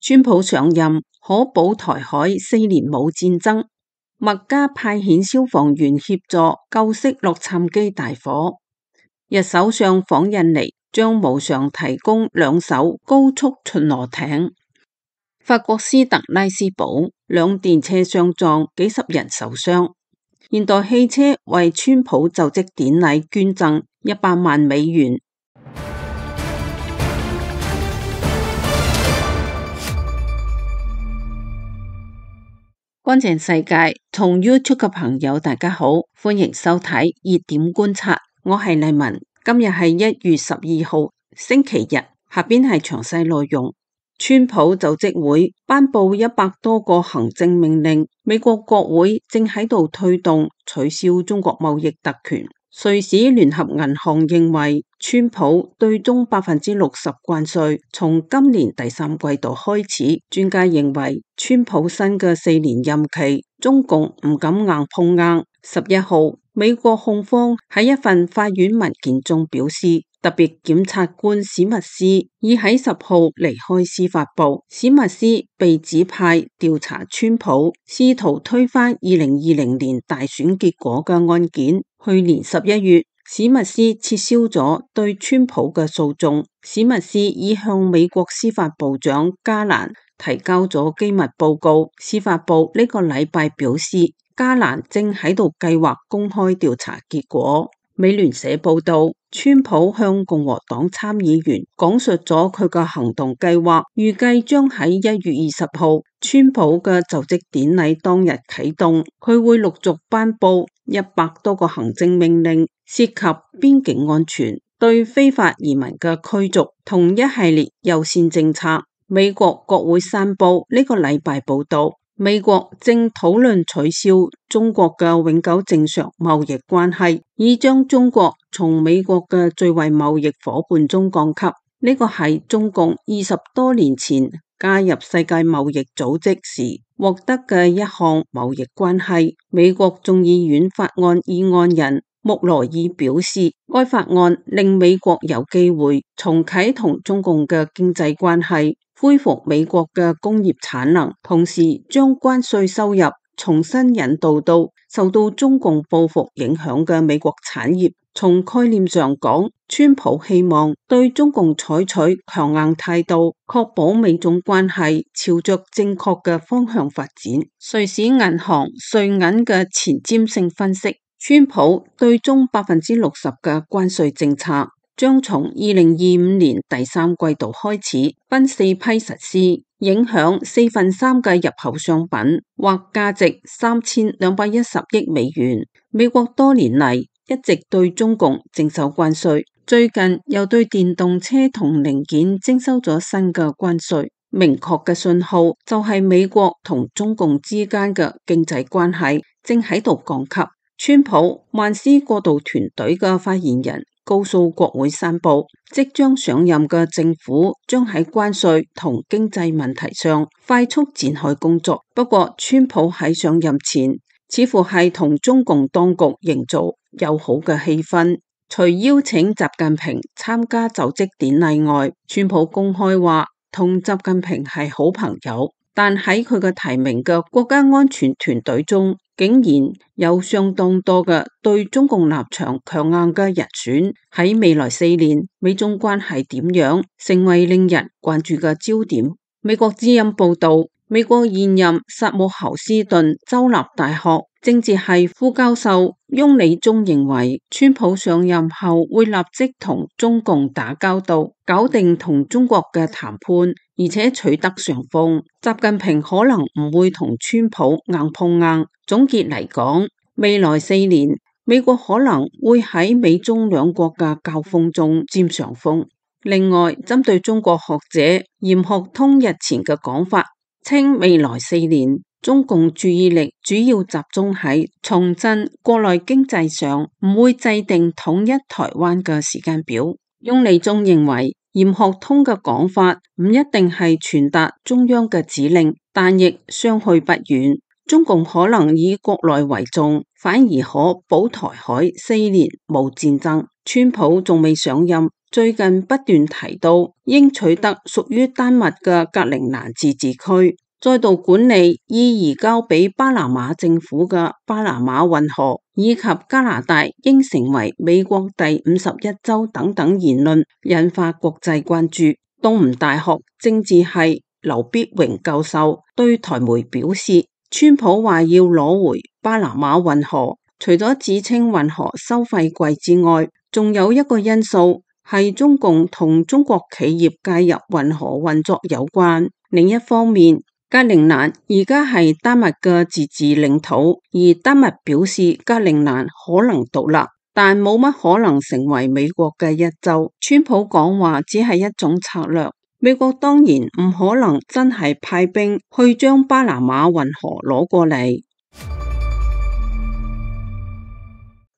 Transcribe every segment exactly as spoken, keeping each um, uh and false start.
川普上任可保台海四年冇戰爭。麥加派遣消防員協助救熄洛杉磯大火。日首相訪印尼，將無償提供兩艘高速巡邏艇。法國斯特拉斯堡兩電車相撞，幾十人受傷。現代汽車為川普就職典禮捐贈一百萬美元。乾淨世界從 YouTube 嘅朋友大家好，歡迎收睇熱點觀察，我係麗文。今日係一月十二號星期日，下邊係詳細內容。川普就職會頒布一百多個行政命令，美國國會正喺度推動取消中國貿易特權。瑞士聯合銀行認為，川普對中百分之六十關稅，從今年第三季度開始。專家認為，川普新嘅四年任期，中共唔敢硬碰硬。十一號，美國控方喺一份法院文件中表示，特別檢察官史密斯已喺十號離開司法部。史密斯被指派調查川普試圖推翻二零二零年大選結果嘅案件。去年十一月，史密斯撤銷咗對川普嘅訴訟。史密斯已向美國司法部長加蘭提交咗機密報告。司法部呢個禮拜表示，加蘭正喺度計劃公開調查結果。美聯社報道，川普向共和黨參議員講述咗佢嘅行動計劃，預計將喺一月二十號川普嘅就職典禮當日啟動。佢會陸續頒布一百多個行政命令，涉及邊境安全、對非法移民嘅驅逐同一系列優先政策。美國國會山報呢個禮拜報道，美國正討論取消中國嘅永久正常貿易關係，以將中國從美國嘅最惠貿易夥伴中降級。呢個係中共二十多年前加入世界貿易組織時獲得嘅一項貿易關係。美國眾議院法案議案人穆羅爾表示，該法案令美國有機會重啟同中共嘅經濟關係，恢復美國嘅工業產能，同時將關稅收入重新引導到受到中共報復影響嘅美國產業。從概念上講，川普希望對中共採取強硬態度，確保美中關係朝着正確嘅方向發展。瑞士銀行瑞銀嘅前瞻性分析，川普對中百分之六十嘅關稅政策將從二零二五年第三季度開始分四批實施，影響四分三嘅入口商品，或價值三千兩百一十億美元。美國多年嚟一直對中共徵收關稅，最近又對電動車同零件徵收咗新嘅關稅。明確嘅信號就係美國同中共之間嘅經濟關係正喺度降級。川普萬斯過渡團隊嘅發言人告訴國會山報，即將上任嘅政府將喺關稅同經濟問題上快速展開工作。不過，川普喺上任前似乎係同中共當局營造友好嘅氣氛。除邀請習近平參加就職典禮外，川普公開話同習近平係好朋友。但喺佢嘅提名嘅國家安全團隊中，竟然有相當多嘅對中共立場強硬嘅人選。喺未來四年，美中關係點樣成為令人關注嘅焦點。美國之音報道，美國現任薩姆侯斯頓州立大學政治系副教授翁理忠認為，川普上任後會立即同中共打交道，搞定同中國嘅談判，而且取得上風。習近平可能唔會同川普硬碰硬。總結嚟講，未來四年，美國可能會喺美中兩國嘅交鋒中佔上風。另外，針對中國學者嚴學通日前嘅講法，稱未來四年中共注意力主要集中喺重振國內經濟上，唔會制定統一台灣嘅時間表。翁理忠認為，嚴學通嘅講法唔一定係傳達中央嘅指令，但亦相去不遠。中共可能以國內為重，反而可保台海四年冇戰爭。川普仲未上任，最近不斷提到應取得屬於丹麥嘅格陵蘭自治區，再度管理已移交俾巴拿馬政府嘅巴拿馬運河，以及加拿大應成為美國第五十一州等等言論，引發國際關注。東吳大學政治系劉必榮教授對台媒表示，川普話要攞回巴拿馬運河，除咗指稱運河收費貴之外，仲有一個因素係中共同中國企業介入運河運作有關。另一方面，格陵蘭而家係丹麥嘅自治領土，而丹麥表示格陵蘭可能獨立，但冇乜可能成為美國嘅一州。川普講話只係一種策略，美國當然唔可能真係派兵去將巴拿馬運河攞過嚟。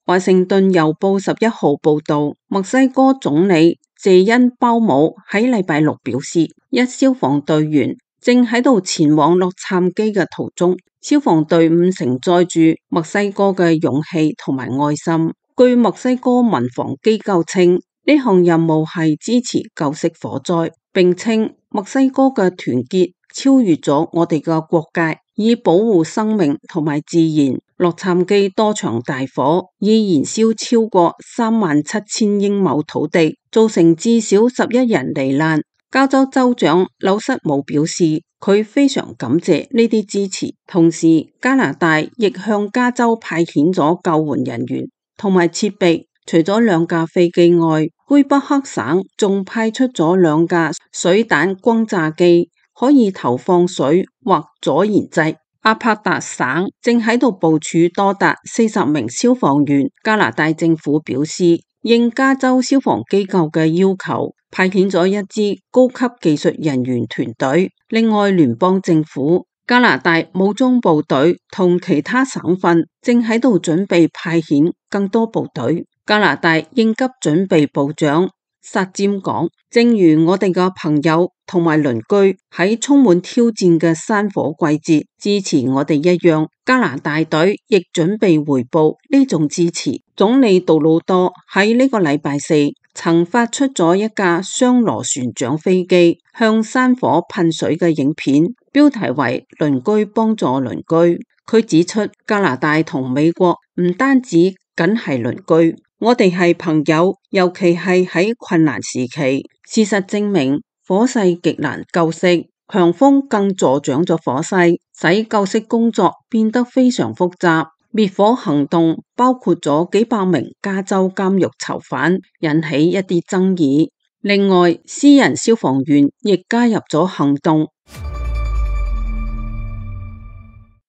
華盛頓郵報十一號報道，墨西哥總理謝恩鮑姆喺禮拜六表示，一消防隊員正喺度前往洛杉磯嘅途中，消防隊伍承載住墨西哥嘅勇氣同埋愛心。據墨西哥民防機構稱，呢項任務係支持救熄火災，並稱墨西哥嘅團結超越咗我哋嘅國界，以保護生命同埋自然。洛杉磯多場大火已燃燒超過三萬七千英畝土地，造成至少十一人罹難。加州州長紐瑟姆表示，佢非常感謝呢啲支持，同時加拿大亦向加州派遣咗救援人員同埋設備。除咗兩架飛機外，魁北克省仲派出咗兩架水彈轟炸機，可以投放水或阻燃劑。阿帕達省正喺度部署多達四十名消防員。加拿大政府表示，應加州消防機構嘅要求，派遣咗一支高級技術人員團隊。另外，聯邦政府、加拿大武裝部隊同其他省份正喺度準備派遣更多部隊。加拿大應急準備部長薩占講，正如我哋嘅朋友同埋鄰居喺充滿挑戰嘅山火季節支持我哋一樣，加拿大隊亦準備回報呢種支持。總理杜魯多喺呢個禮拜四曾發出咗一架雙螺旋槳飛機向山火噴水嘅影片，標題為鄰居幫助鄰居。佢指出，加拿大同美國唔單止僅係鄰居，我哋係朋友，尤其係喺困難時期。事實證明，火勢極難救熄，強風更助長咗火勢，使救熄工作變得非常複雜。滅火行動包括咗幾百名加州監獄囚犯，引起一啲爭議。另外，私人消防員亦加入咗行動。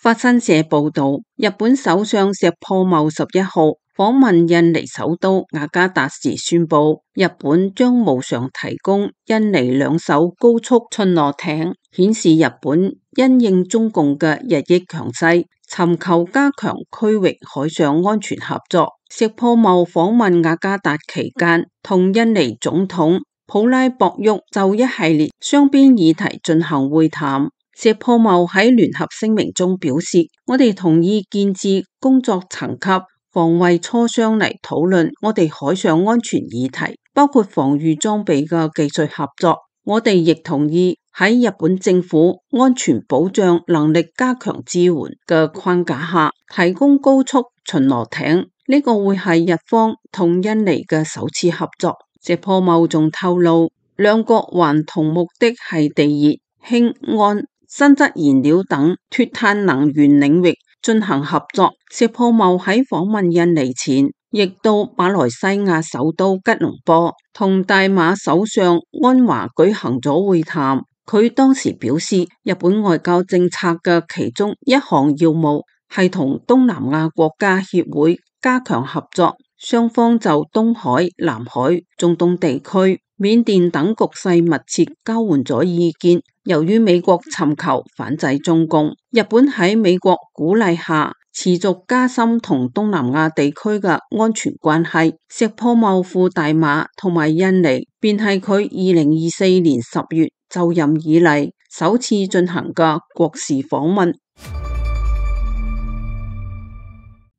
法新社報道，日本首相石破茂十一號訪問印尼首都雅加達時宣布，日本將無償提供印尼兩艘高速巡邏艇，顯示日本因應中共嘅日益強勢，尋求加強區域海上安全合作。石破茂訪問雅加達期間，同印尼總統普拉博沃就一系列雙邊議題進行會談。石破茂喺聯合聲明中表示，我哋同意建置工作層級防衛磋商嚟討論我哋海上安全議題，包括防禦裝備嘅技術合作。我哋亦同意喺日本政府安全保障能力加強支援嘅框架下，提供高速巡邏艇。呢個會係日方同印尼嘅首次合作。石破茂仲透露，兩國還同目的係地熱、氫、氨、新質燃料等脫碳能源領域進行合作。石破茂喺訪問印尼前，亦到馬來西亞首都吉隆坡同大馬首相安華舉行咗會談。佢當時表示，日本外交政策嘅其中一項要務係同東南亞國家協會加強合作，雙方就東海、南海、中東地區、緬甸等局勢密切交換咗意見。由於美國尋求反制中共，日本喺美國鼓勵下持續加深同東南亞地區嘅安全關係。石破茂赴大馬同埋印尼，便係佢二零二四年十月就任以嚟首次進行嘅國事訪問。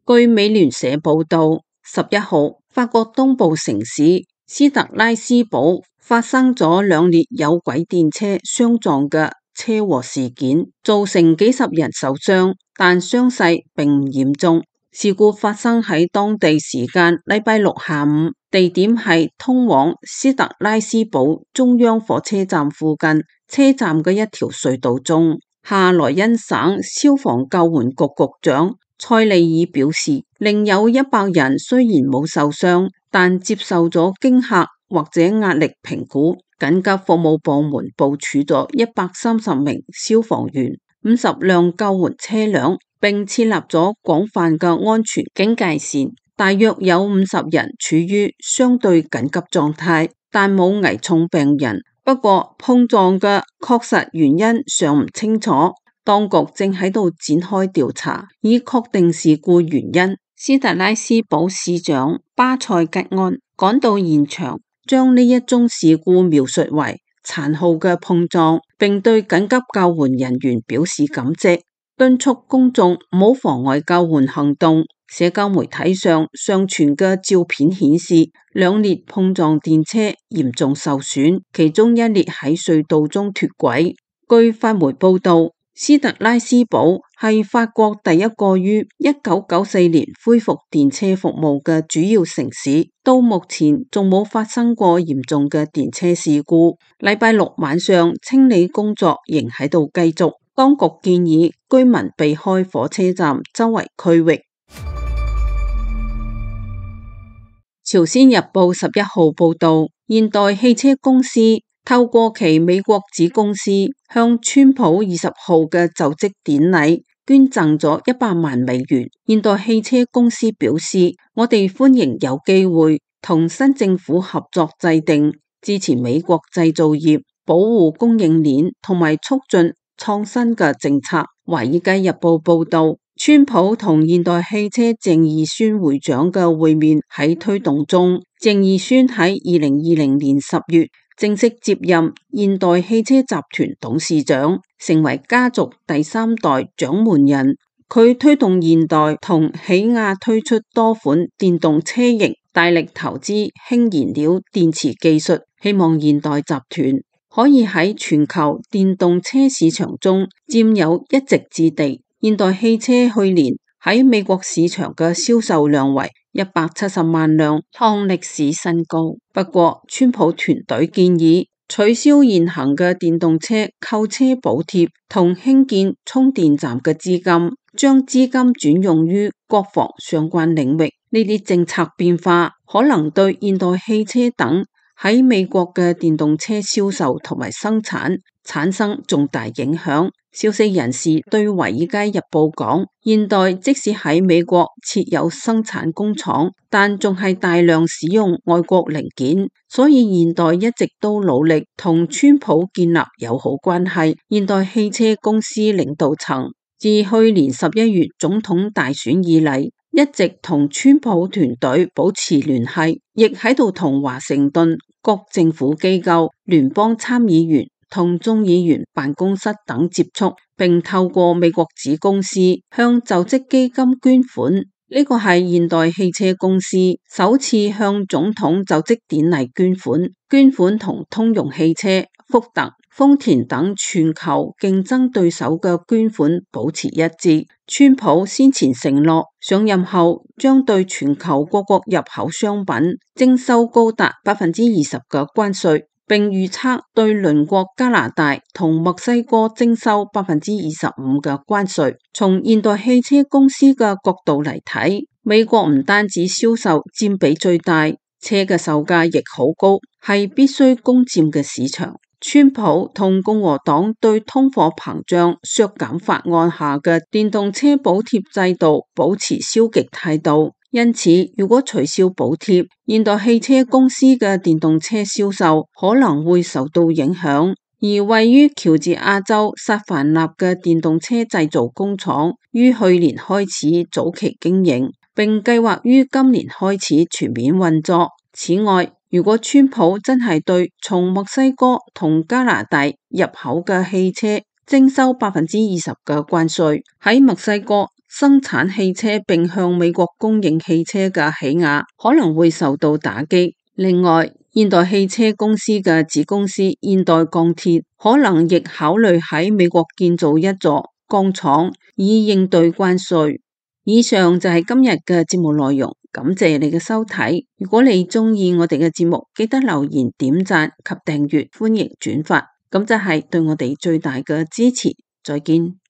據美聯社報道，十一號法國東部城市斯特拉斯堡發生咗兩列有軌電車相撞嘅車禍事件，造成幾十人受傷，但傷勢並唔嚴重。事故發生喺當地時間禮拜六下午，地點係通往斯特拉斯堡中央火車站附近車站嘅一條隧道中。夏萊恩省消防救援局局長塞利爾表示，另有一百人雖然冇受傷，但接受咗驚嚇或者壓力評估。緊急服務部門部署咗一百三十名消防員、五十輛救援車輛，並設立咗廣泛嘅安全警戒線。大約有五十人處於相對緊急狀態，但冇危重病人。不過碰撞嘅確實原因尚唔清楚，當局正喺度展開調查，以確定事故原因。斯特拉斯堡市長巴塞吉安趕到現場，將呢一宗事故描述為殘酷嘅碰撞，並對緊急救援人員表示感謝，敦促公眾唔好妨礙救援行動。社交媒體上上傳嘅照片顯示，兩列碰撞電車嚴重受損，其中一列喺隧道中脫軌。據法媒報道，斯特拉斯堡係法國第一個於一九九四年恢復電車服務嘅主要城市，到目前仲冇發生過嚴重嘅電車事故。禮拜六晚上清理工作仍喺度繼續，當局建議居民避開火車站周圍區域。朝鮮日報十一號報道，現代汽車公司透過其美國子公司向川普二十號嘅就職典禮捐贈咗一百萬美元。現代汽車公司表示，我哋歡迎有機會同新政府合作制定支持美國製造業、保護供應鏈同埋促進創新嘅政策。華爾街日報報道，川普同現代汽車鄭義宣會長嘅會面喺推動中。鄭義宣喺二零二零年十月正式接任現代汽車集團董事長，成為家族第三代掌門人。佢推動現代同起亞推出多款電動車型，大力投資氫燃料電池技術，希望現代集團可以喺全球電動車市場中佔有一席之地。現代汽車去年喺美國市場嘅銷售量為一百七十萬輛，創歷史新高。不過，川普團隊建議取消現行嘅電動車購車補貼同興建充電站嘅資金，將資金轉用於國防相關領域。呢啲政策變化可能對現代汽車等喺美國嘅電動車銷售同埋生產產生重大影響。消息人士對華爾街日報講，現代即使喺美國設有生產工廠，但仲係大量使用外國零件，所以現代一直都努力同川普建立友好關係。現代汽車公司領導層自去年十一月總統大選以嚟，一直同川普團隊保持聯繫，亦喺度同華盛頓各政府機構、聯邦參議員同眾議員辦公室等接觸，並透過美國子公司向就職基金捐款。呢個係現代汽車公司首次向總統就職典禮捐款。捐款同通用汽車、福特、豐田等全球競爭對手嘅捐款保持一致。川普先前承諾上任後將對全球各國入口商品徵收高達百分之二十嘅關稅，並預測對鄰國加拿大同墨西哥徵收百分之二十五嘅關稅。從現代汽車公司嘅角度嚟睇，美國唔單止銷售佔比最大，車嘅售價亦好高，係必須攻佔嘅市場。川普同共和黨對通貨膨脹削減法案下嘅電動車補貼制度保持消極態度。因此，如果取消補貼，現代汽車公司嘅電動車銷售可能會受到影響。而位於喬治亞州薩凡納嘅電動車製造工廠於去年開始早期經營，並計劃於今年開始全面運作。此外，如果川普真係對從墨西哥同加拿大入口嘅汽車徵收百分之二十嘅關稅，喺墨西哥生產汽車並向美國供應汽車嘅起亞可能會受到打擊。另外，現代汽車公司嘅子公司現代鋼鐵可能亦考慮喺美國建造一座鋼廠，以應對關稅。以上就係今日嘅節目內容，感謝你嘅收睇。如果你鍾意我哋嘅節目，記得留言、點讚及訂閱，歡迎轉發，咁就係對我哋最大嘅支持。再見。